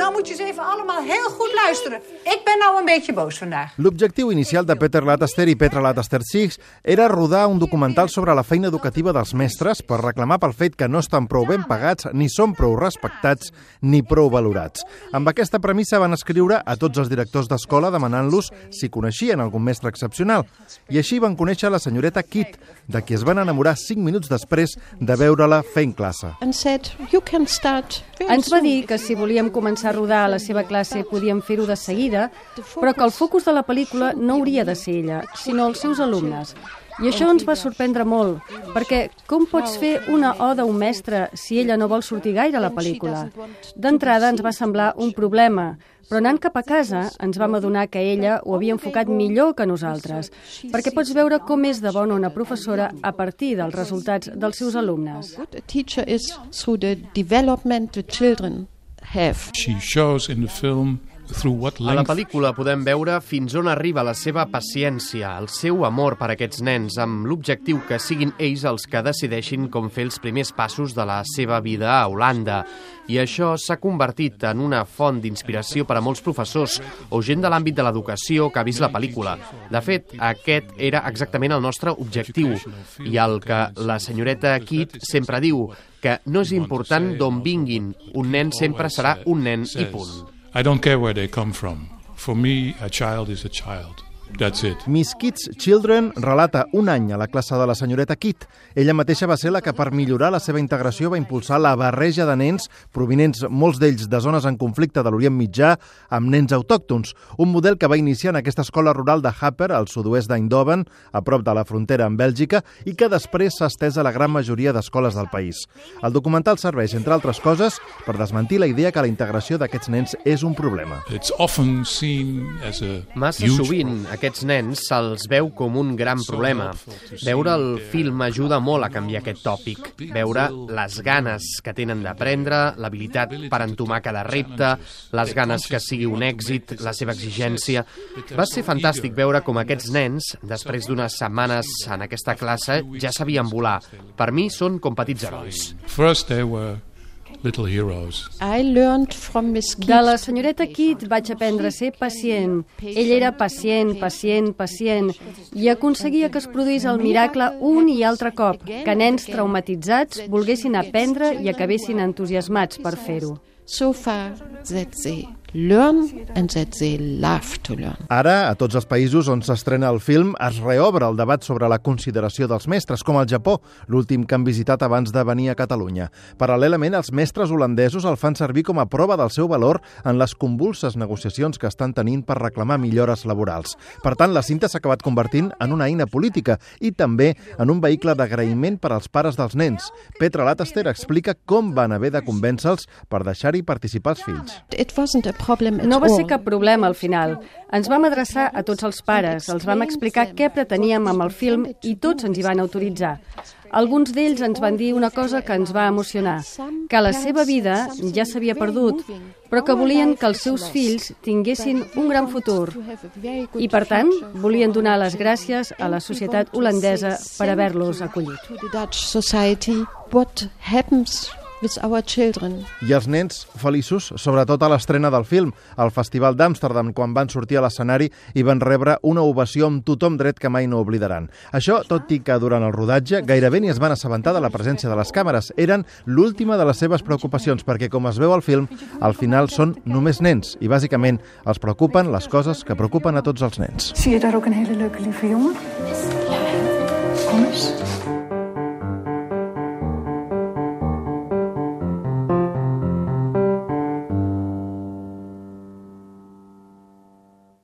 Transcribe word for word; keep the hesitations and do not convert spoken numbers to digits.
nou moet je eens even allemaal heel goed luisteren. Ik ben nou een beetje boos vandaag. L'objectiu inicial de Peter Latester i Petra Latester-Six era rodar un documental sobre la feina educativa dels mestres per reclamar pel fet que no estan prou ben pagats, ni són prou respectats, ni prou valorats. Amb aquesta premissa van escriure a tots els directors d'escola demanant-los si coneixien algun mestre excepcional. I així van conèixer la senyoreta Kitt, de qui es van enamorar cinc minuts després de veure-la fent classe. Ens va dir que si volíem començar a rodar a la seva classe podíem fer-ho de seguida, però que el focus de la pel·lícula no hauria de ser ella, sinó els seus alumnes. I això ens va sorprendre molt, perquè com pots fer una oda a un mestre si ella no vol sortir gaire a la pel·lícula? D'entrada ens va semblar un problema, però anant cap a casa ens vam adonar que ella ho havia enfocat millor que nosaltres, perquè pots veure com és de bona una professora a partir dels resultats dels seus alumnes. She shows in the film a la pel·lícula podem veure fins on arriba la seva paciència, el seu amor per aquests nens, amb l'objectiu que siguin ells els que decideixin com fer els primers passos de la seva vida a Holanda. I això s'ha convertit en una font d'inspiració per a molts professors o gent de l'àmbit de l'educació que ha vist la pel·lícula. De fet, aquest era exactament el nostre objectiu i el que la senyoreta Kitt sempre diu, que no és important d'on vinguin, un nen sempre serà un nen i punt. I don't care where they come from. For me, a child is a child. That's it. Miss Kitt's Children relata un any a la classe de la senyoreta Kitt. Ella mateixa va ser la que, per millorar la seva integració, va impulsar la barreja de nens provinents, molts d'ells de zones en conflicte de l'Orient Mitjà, amb nens autòctons. Un model que va iniciar en aquesta escola rural de Haper, al sud-oest d'Eindhoven, a prop de la frontera amb Bèlgica, i que després s'ha estès a la gran majoria d'escoles del país. El documental serveix, entre altres coses, per desmentir la idea que la integració d'aquests nens és un problema. It's often seen as a Massa sovint, aquests nens se'ls veu com un gran problema. Veure el film ajuda molt a canviar aquest tòpic. Veure les ganes que tenen d'aprendre, l'habilitat per entomar cada repte, les ganes que sigui un èxit, la seva exigència. Va ser fantàstic veure com aquests nens, després d'unes setmanes en aquesta classe, ja sabien volar. Per mi són com petits herois. First they were little heroes. De la senyoreta Kitt vaig aprendre a ser pacient. Ella era pacient, pacient, pacient, i aconseguia que es produís el miracle un i altre cop, que nens traumatitzats volguessin aprendre i acabessin entusiasmats per fer-ho. So far that they learn and that they love to learn. Ara, a tots els països on s'estrena el film, es reobre el debat sobre la consideració dels mestres, com al Japó, l'últim que han visitat abans de venir a Catalunya. Paral·lelament, els mestres holandesos el fan servir com a prova del seu valor en les convulses negociacions que estan tenint per reclamar millores laborals. Per tant, la cinta s'ha acabat convertint en una eina política i també en un vehicle d'agraïment per als pares dels nens. Petra Latester explica com van haver de convèncer-los per deixar-hi participar els fills. It wasn't a No va ser cap problema al final. Ens vam adreçar a tots els pares, els vam explicar què preteníem amb el film i tots ens hi van autoritzar. Alguns d'ells ens van dir una cosa que ens va emocionar, que la seva vida ja s'havia perdut, però que volien que els seus fills tinguessin un gran futur. I, per tant, volien donar les gràcies a la societat holandesa per haver-los acollit. With our children. I els nens feliços, sobretot a l'estrena del film, al Festival d'Amsterdam, quan van sortir a l'escenari i van rebre una ovació amb tothom dret que mai no oblidaran. Això, tot i que durant el rodatge gairebé ni es van assabentar de la presència de les càmeres. Eren l'última de les seves preocupacions, perquè, com es veu al film, al final són només nens i, bàsicament, els preocupen les coses que preocupen a tots els nens. Zie je daar ook een hele leuke lieve jongen?